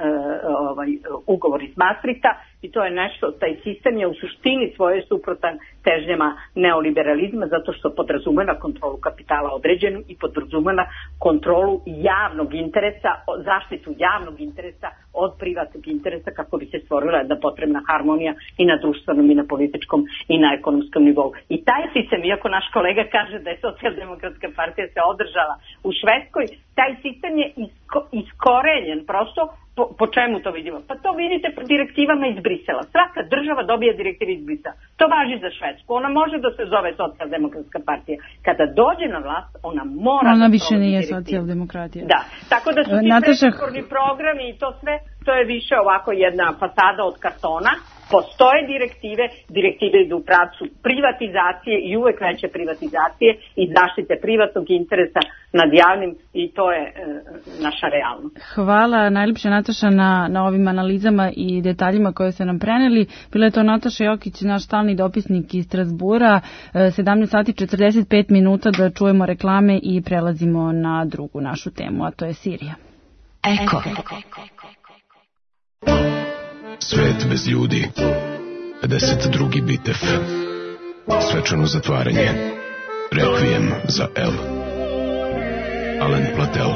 ovaj, ugovor iz Maastrichta i to je nešto, taj sistem je u suštini svoje suprotan težnjama neoliberalizma zato što podrazumeva kontrolu kapitala određenu i podrazumeva kontrolu javnog interesa, zaštitu javnog interesa od privatnog interesa kako bi se stvorila jedna potrebna harmonija i na društvenom i na političkom i na ekonomskom nivou. I taj sistem, iako naš kolega kaže da je socijaldemokratska partija se održala u Švedskoj, taj sistem je isko, iskorenjen prosto. Po, po čemu to vidimo? Pa to vidite po direktivama iz Brisela. Svaka država dobije direktive iz Brisela. To važi za Švedsku. Ona može da se zove socijaldemokratska partija. Kada dođe na vlast, ona mora ona da više nije direktive. Socijaldemokratija. Da, tako da su ti Nataša... predizborni programi i to sve, to je više ovako jedna fasada od kartona. Postoje direktive, direktive idu u pravcu privatizacije i uvek veće privatizacije i zaštite privatnog interesa nad javnim i to je e, naša realnost. Hvala najljepše Nataša na, na ovim analizama i detaljima koje ste nam preneli. Bila je to Nataša Jokić, naš stalni dopisnik iz Strasbura. sedamnaest sati četrdeset pet minuta da čujemo reklame i prelazimo na drugu našu temu, a to je Sirija. Eko. Svet bez ljudi. pedeset drugi bitev. Svečano zatvaranje. Rekvijem za El. Alen Platel.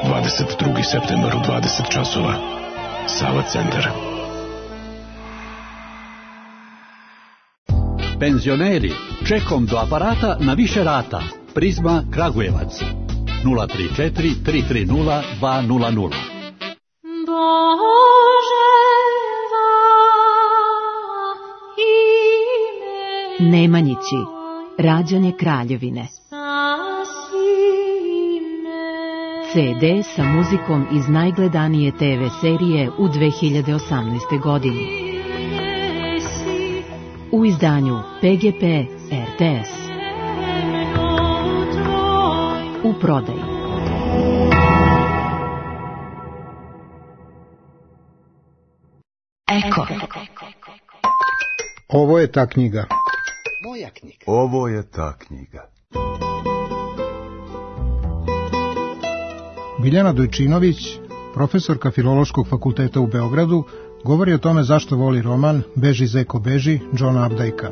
dvadeset drugi septembar u dvadeset časova. Sava centar. Penzioneri, čekom do aparata na više rata. Prizma Kragujevac. nula tri četiri tri tri nula dva nula nula. Nemanjići, rađanje kraljevine. ce de sa muzikom iz najgledanije te ve serije u dve hiljade osamnaestoj. godini. U izdanju pe ge pe er te es. U prodaji. Eko. Ovo je ta knjiga. Moja knjiga. Ovo je ta knjiga. Biljana Dojčinović, profesorka Filološkog fakulteta u Beogradu, govori o tome zašto voli roman Beži zeko beži, Johna Updikea.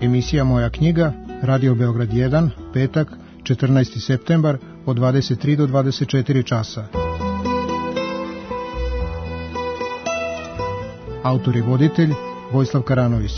Emisija Moja knjiga, Radio Beograd jedan, petak, četrnaesti septembar, od dvadeset tri do dvadeset četiri časa. Autor i voditelj Vojislav Karanović.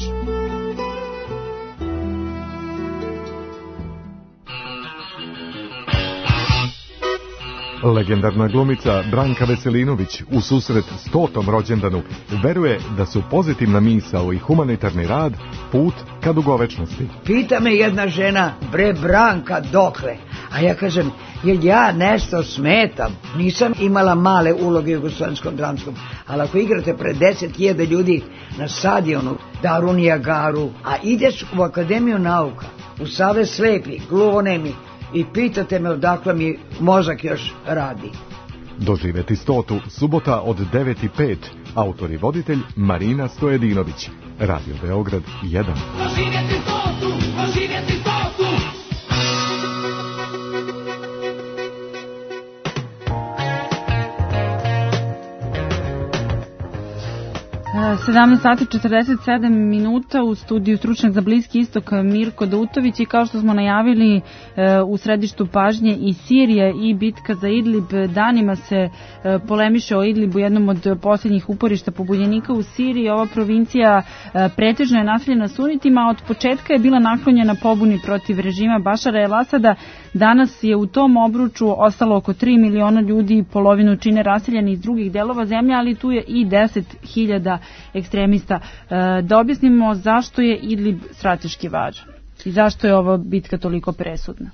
Legendarna glumica Branka Veselinović u susret stotom rođendanu veruje da su pozitivna misao i humanitarni rad put ka dugovečnosti. Pita me jedna žena, bre Branka, dokle? A ja kažem, jer ja nešto smetam. Nisam imala male uloge u Jugoslovenskom dramskom, ali ako igrate pred deset hiljada ljudi na stadionu Darunija Garu, a ideš u Akademiju nauka, u Savez slepih, gluvonemi, i pitate me odakle mi mozak još radi. Doživeti stotu, subota od devet i pet. Autor i voditelj Marina Stojedinović. Radio Beograd jedan. Doživjeti stotu, doživjeti stotu. sedamnaest sati četrdeset sedam minuta u studiju stručnjak za Bliski istok Mirko Dautović i kao što smo najavili u središtu pažnje i Sirija i bitka za Idlib. Danima se polemiše o Idlibu, jednom od posljednjih uporišta pobunjenika u Siriji. Ova provincija pretežno je naseljena sunitima, a od početka je bila naklonjena pobuni protiv režima Bašara el-Asada. Danas je u tom obruču ostalo oko tri miliona ljudi, polovinu čine raseljeni iz drugih delova zemlje, ali tu je i deset hiljada ekstremista. Da objasnimo zašto je Idlib strateški važan i zašto je ova bitka toliko presudna.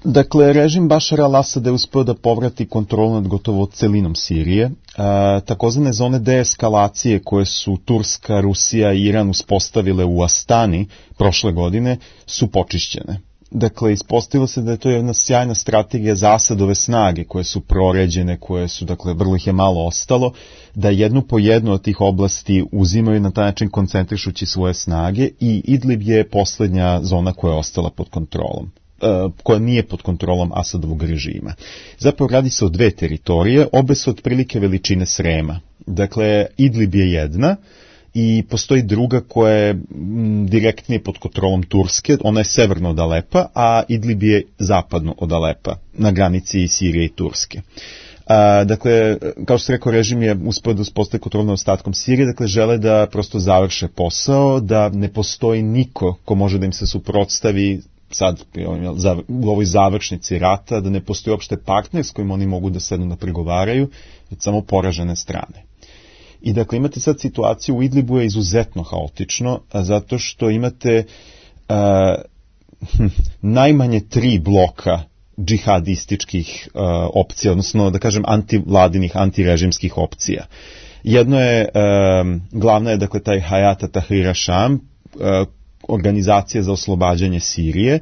Dakle, režim Bašara al-Asada je uspeo da povrati kontrolu nad gotovo celinom Sirije. A, takozvane zone deeskalacije koje su Turska, Rusija i Iran uspostavile u Astani prošle godine su počišćene. Dakle, ispostavilo se da je to jedna sjajna strategija za Asadove snage koje su proređene, koje su, dakle, vrlo ih je malo ostalo, da jednu po jednu od tih oblasti uzimaju na taj način koncentrišući svoje snage i Idlib je posljednja zona koja je ostala pod kontrolom, koja nije pod kontrolom Asadovog režima. Zapravo radi se o dve teritorije, obe su otprilike veličine Srema. Dakle, Idlib je jedna i postoji druga koja je direktnije pod kontrolom Turske, ona je severno od Alepa, a Idlib je zapadno od Alepa, na granici Sirije i Turske. A, dakle, kao što se rekao, režim je uspio da uspostavi kontrolu nad ostatkom Sirije, dakle žele da prosto završe posao, da ne postoji niko ko može da im se suprotstavi sad u ovoj završnici rata, da ne postoji uopšte partner s kojim oni mogu da sednu da pregovaraju, već samo poražene strane. I dakle imate sad situaciju u Idlibu je izuzetno haotično, zato što imate a, najmanje tri bloka džihadističkih uh, opcija, odnosno da kažem antivladinih, antirežimskih opcija. Jedno je, um, glavna je dakle taj Hayat Tahrir al-Sham, uh, organizacija za oslobađanje Sirije,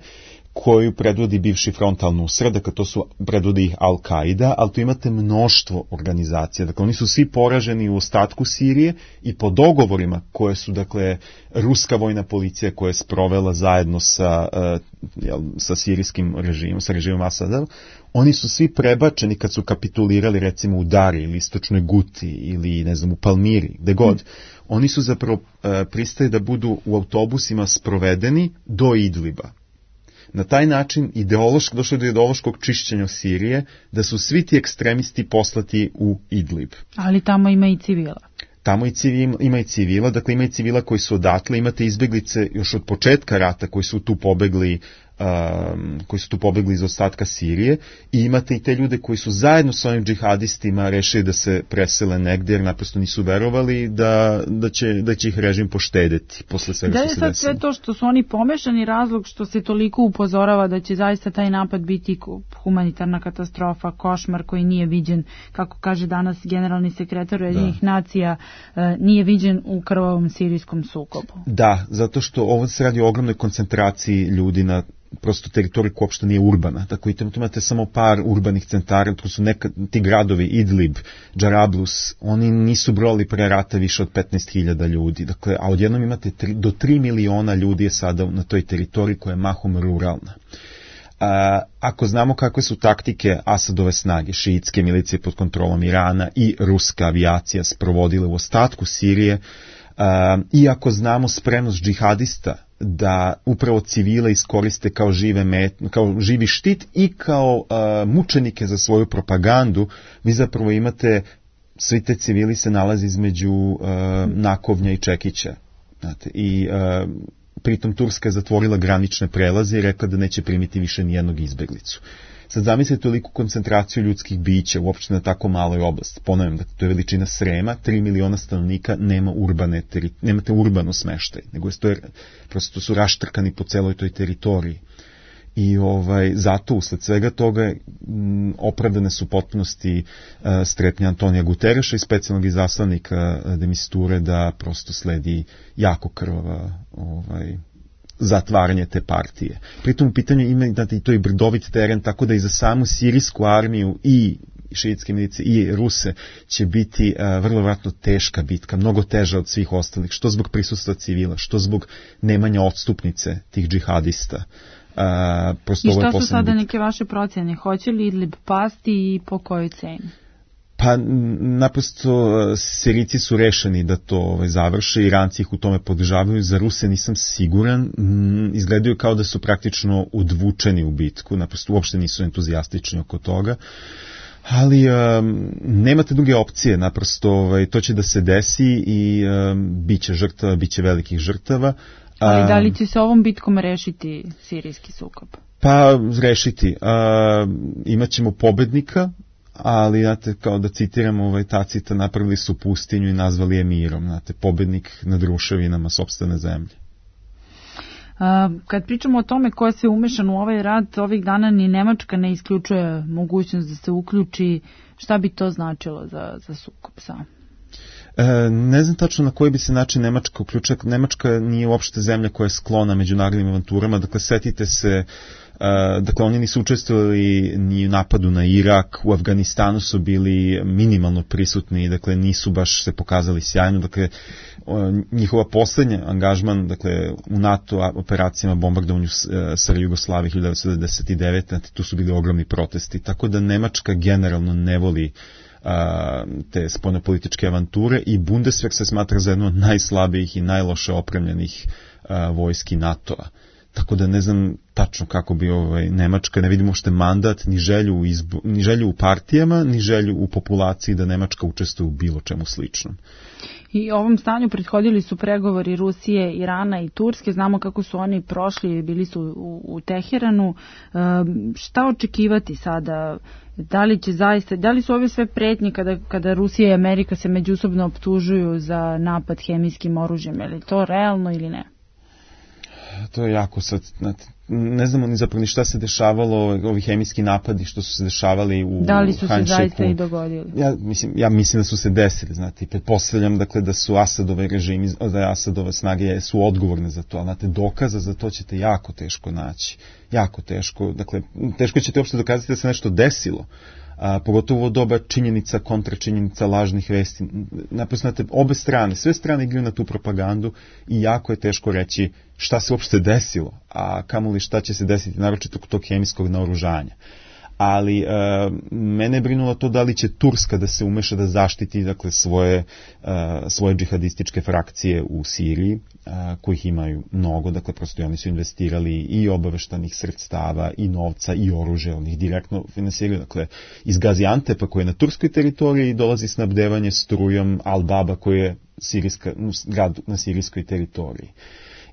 koju predvodi bivši front al-Nusra, dakle to su, predvodi ih Al-Qaida, ali tu imate mnoštvo organizacija, dakle oni su svi poraženi u ostatku Sirije i po dogovorima koje su, dakle, ruska vojna policija koja je sprovela zajedno sa, uh, jel, sa sirijskim režimom, sa režimom Asada, oni su svi prebačeni kad su kapitulirali recimo u Dari ili istočnoj Guti ili ne znam u Palmiri, gde god, mm. oni su zapravo uh, pristali da budu u autobusima sprovedeni do Idliba. Na taj način ideološko, došlo je do ideološkog čišćenja Sirije, da su svi ti ekstremisti poslati u Idlib. Ali tamo ima i civila. Tamo i civil, ima i civila, dakle ima i civila koji su odatle, imate izbeglice još od početka rata koji su tu pobegli, um, koji su tu pobegli iz ostatka Sirije, i imate i te ljude koji su zajedno sa ovim džihadistima rešili da se presele negdje, jer naprosto nisu verovali da, da, će, da će ih režim poštedeti posle svega što se desilo. Da je sad sve to što su oni pomešani razlog što se toliko upozorava da će zaista taj napad biti humanitarna katastrofa, košmar koji nije viđen, kako kaže danas generalni sekretar Ujedinjenih nacija, nije viđen u krvavom sirijskom sukobu. Da, zato što ovo se radi o ogromnoj koncentraciji ljudi na prosto teritoriju koja uopšte nije urbana. Tako i tamo imate samo par urbanih centara, to su nekad, ti gradovi, Idlib, Džarablus, oni nisu brojali pre rata više od petnaest hiljada ljudi. Dakle, a odjednom imate tri, do tri miliona ljudi je sada na toj teritoriji koja je mahom ruralna. A, ako znamo kakve su taktike Asadove snage, šiitske milicije pod kontrolom Irana i ruska avijacija sprovodile u ostatku Sirije, a, i ako znamo spremnost džihadista da upravo civile iskoriste kao žive met, kao živi štit i kao uh, mučenike za svoju propagandu, vi zapravo imate, svi te civili se nalazi između uh, Nakovnja i Čekića. Znate, i uh, pritom Turska je zatvorila granične prelaze i rekla da neće primiti više nijednog izbeglicu. Sad zamislite toliku koncentraciju ljudskih bića uopšte na tako maloj oblasti. Ponavljam, da to je veličina Srema, tri miliona stanovnika, nema urbane, teri, nemate urbano smeštaj, nego je to je, prosto su raštrkani po celoj toj teritoriji. I ovaj, zato usled svega toga m, opravdane su potpunosti uh, strepnje Antonija Gutereša i specijalnog izaslanika uh, de Misture da prosto sledi jako krvava ovaj, zatvaranje te partije. Pritom u pitanju ima i to i brdovit teren, tako da i za samu sirijsku armiju i šiitske milicije i Ruse će biti uh, vrlo vjerojatno teška bitka, mnogo teža od svih ostalih, što zbog prisustva civila, što zbog nemanja odstupnice tih džihadista. Uh, I šta su sada neke vaše procjene? Hoće li Idlib pasti i po kojoj ceni? Pa naprosto Sirijci su rešeni da to ovaj, završe, Iranci ih u tome podržavaju, za Ruse nisam siguran, mm, izgledaju kao da su praktično udvučeni u bitku, naprosto uopšte nisu entuzijastični oko toga, ali um, nemate druge opcije, naprosto ovaj, to će da se desi i um, bit će žrtava, bit će velikih žrtava. Ali da li će se ovom bitkom rešiti sirijski sukob? Pa rešiti. Uh, imaćemo pobednika, ali, znate, kao da citiram ovaj Tacita, napravili su pustinju i nazvali je mirom, znate, pobednik nad ruševinama sopstvene zemlje. Uh, kad pričamo o tome ko je se umešan u ovaj rat, ovih dana ni Nemačka ne isključuje mogućnost da se uključi. Šta bi to značilo za, za sukob sam? E, ne znam tačno na koji bi se način Nemačka uključila. Nemačka nije uopšte zemlja koja je sklona međunarodnim avanturama, dakle setite se, Uh, dakle oni nisu učestvovali ni u napadu na Irak, u Afganistanu su bili minimalno prisutni, dakle nisu baš se pokazali sjajno, dakle uh, njihova poslednja angažman, dakle u NATO operacijama bombardovanju uh, sa Jugoslavije hiljadu devetsto devedeset devete. Tu su bili ogromni protesti, tako da Nemačka generalno ne voli uh, te spoljnopolitičke avanture i Bundeswehr se smatra za jednu od najslabijih i najloše opremljenih uh, vojski NATO-a. Tako da ne znam tačno kako bi ovaj, Nemačka, ne vidimo uopšte mandat, ni želju, u izbo, ni želju u partijama, ni želju u populaciji da Nemačka učestvuje u bilo čemu sličnom. I ovom stanju prethodili su pregovori Rusije, Irana i Turske. Znamo kako su oni prošli, bili su u, u Teheranu. E, šta očekivati sada? Da li će zaista, da li su ove sve pretnje kada, kada Rusija i Amerika se međusobno optužuju za napad hemijskim oružjem? Je li to realno ili ne? To je jako sad, ne znamo ni zapravo ni šta se dešavalo, ovi hemijski napadi što su se dešavali u Hanšeku. Da li su se zaista i dogodili? Ja mislim, ja mislim da su se desili, znate, pretpostavljam dakle da su Asadove režimi, da je Asadove snage su odgovorne za to, ali znate, dokaza za to ćete jako teško naći, jako teško, dakle, teško ćete uopšte dokazati da se nešto desilo. A, pogotovo doba činjenica, kontračinjenica, lažnih vesti. Naposlate, obe strane, sve strane igraju na tu propagandu i jako je teško reći šta se uopšte desilo, a kamoli šta će se desiti, naročito kod tog hemijskog naoružanja. Ali e, mene je brinulo to da li će Turska da se umeša da zaštiti dakle, svoje, e, svoje džihadističke frakcije u Siriji, e, kojih imaju mnogo, dakle prosto oni su investirali i obaveštanih sredstava i novca i oružja, oni ih direktno finansiraju, dakle iz Gaziantepa koji je na turskoj teritoriji dolazi snabdevanje strujom Al-Baba koji je sirijska, grad na sirijskoj teritoriji.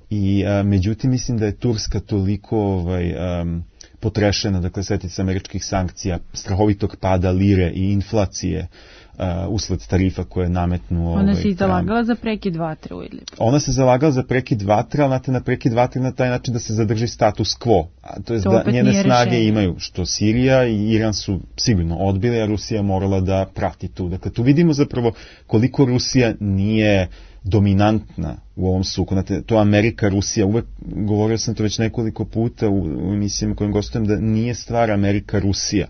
I a, međutim mislim da je Turska toliko ovaj, um, potrešena, dakle setite se američkih sankcija, strahovitog pada lire i inflacije uh, usled tarifa koje je nametnuo. Ona ovaj, se i zalagala za prekid vatre u Idlibu. Ona se zalagala za prekid vatre, ali znate, na prekid vatre na taj način da se zadrži status quo. A to je to da njene snage rešenje. Imaju, što Sirija i Iran su sigurno odbili, a Rusija morala da prati tu. Dakle, tu vidimo zapravo koliko Rusija nije dominantna u ovom suku. Znate, to Amerika, Rusija, uvek govorio sam to već nekoliko puta u, u emisijama kojim gostujem, da nije stvar Amerika, Rusija.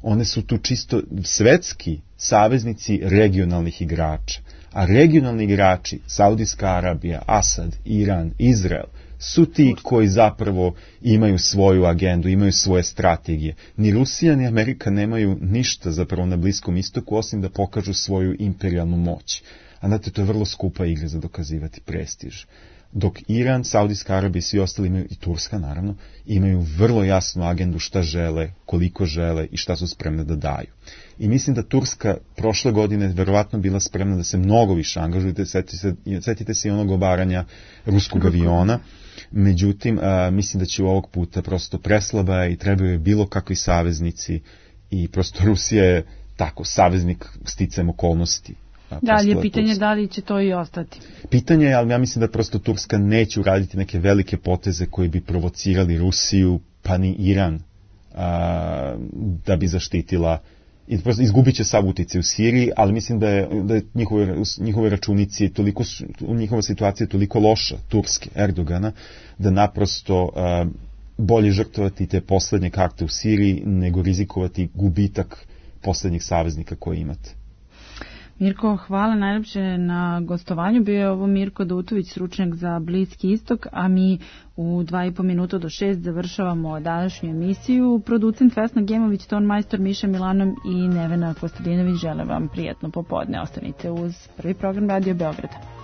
One su tu čisto svetski saveznici regionalnih igrača. A regionalni igrači, Saudijska Arabija, Asad, Iran, Izrael, su ti koji zapravo imaju svoju agendu, imaju svoje strategije. Ni Rusija ni Amerika nemaju ništa zapravo na Bliskom istoku, osim da pokažu svoju imperijalnu moć. A znate, to je vrlo skupa igra za dokazivati prestiž. Dok Iran, Saudijska Arabija i svi ostali imaju, i Turska naravno, imaju vrlo jasnu agendu šta žele, koliko žele i šta su spremne da daju. I mislim da Turska prošle godine verovatno bila spremna da se mnogo više angažuje, setite se, setite se i onog obaranja ruskog aviona, međutim, a, mislim da će u ovog puta prosto preslaba i trebaju je bilo kakvi saveznici i prosto Rusija je tako, saveznik sticajem okolnosti. Da li je pitanje da li će to i ostati? Pitanje je, ali ja mislim da prosto Turska neće uraditi neke velike poteze koji bi provocirali Rusiju, pa ni Iran, a, da bi zaštitila, i prosto izgubit će sav uticaj u Siriji, ali mislim da je, da je njihove, njihove računici, toliko, njihova situacija je toliko loša, Turske, Erdogana, da naprosto a, bolje žrtvovati te poslednje karte u Siriji, nego rizikovati gubitak poslednjih saveznika koje imate. Mirko, hvala najlepše na gostovanju. Bio je ovo Mirko Dutović, stručnjak za Bliski istok, a mi u dva i po minuta do šest završavamo današnju emisiju. Producent Vesna Gemović, ton majstor Miša Milanov i Nevena Kostadinović žele vam prijatno popodne. Ostanite uz prvi program Radio Beograda.